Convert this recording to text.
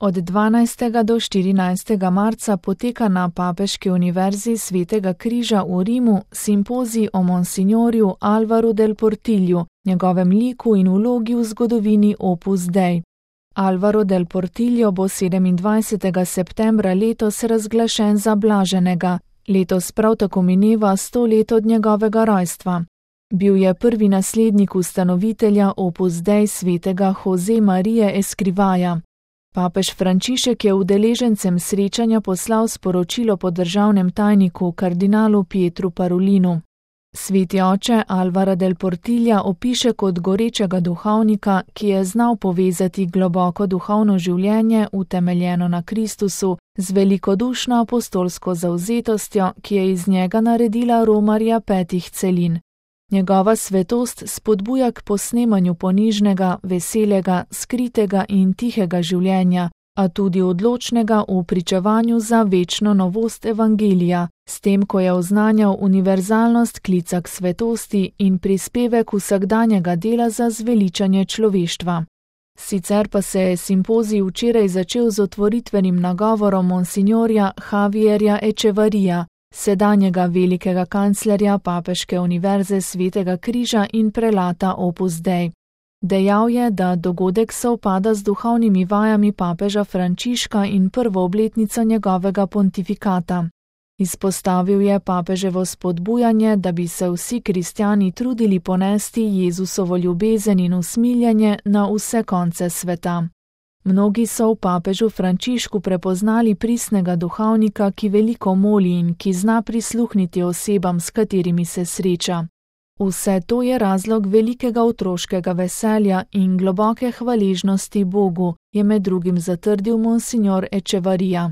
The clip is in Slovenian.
Od 12. do 14. marca poteka na Papeški univerzi Svetega križa v Rimu simpozij o monsignorju Álvaru del Portillu, njegovem liku in vlogi v zgodovini Opus Dei. Álvaro del Portillo bo 27. septembra letos razglašen za blaženega, letos prav tako mineva 100 let od njegovega rojstva. Bil je prvi naslednik ustanovitelja Opus Dei svetega Jose Marije Escrivaja. Papež Frančišek je udeležencem srečanja poslal sporočilo po državnem tajniku kardinalu Pietru Parolinu. Sveti oče Álvara del Portilla opiše kot gorečega duhovnika, ki je znal povezati globoko duhovno življenje, utemeljeno na Kristusu, z velikodušno apostolsko zavzetostjo, ki je iz njega naredila romarja 5 celin. Njegova svetost spodbuja k posnemanju ponižnega, veselega, skritega in tihega življenja, a tudi odločnega v pričevanju za večno novost evangelija, s tem, ko je oznanjal univerzalnost klica k svetosti in prispevek vsakdanjega dela za zveličanje človeštva. Sicer pa se je simpozij včeraj začel z otvoritvenim nagovorom monsignorja Javierja Echevarrija, sedanjega velikega kanclerja Papeške univerze Svetega križa in prelata Opus Dei. Dejal je, da dogodek sovpada z duhovnimi vajami papeža Frančiška in prvo obletnico njegovega pontifikata. Izpostavil je papeževo spodbujanje, da bi se vsi kristjani trudili ponesti Jezusovo ljubezen in usmiljenje na vse konce sveta. Mnogi so v papežu Frančišku prepoznali pristnega duhovnika, ki veliko moli in ki zna prisluhniti osebam, s katerimi se sreča. Vse to je razlog velikega otroškega veselja in globoke hvaležnosti Bogu, je med drugim zatrdil monsignor Echevarrija.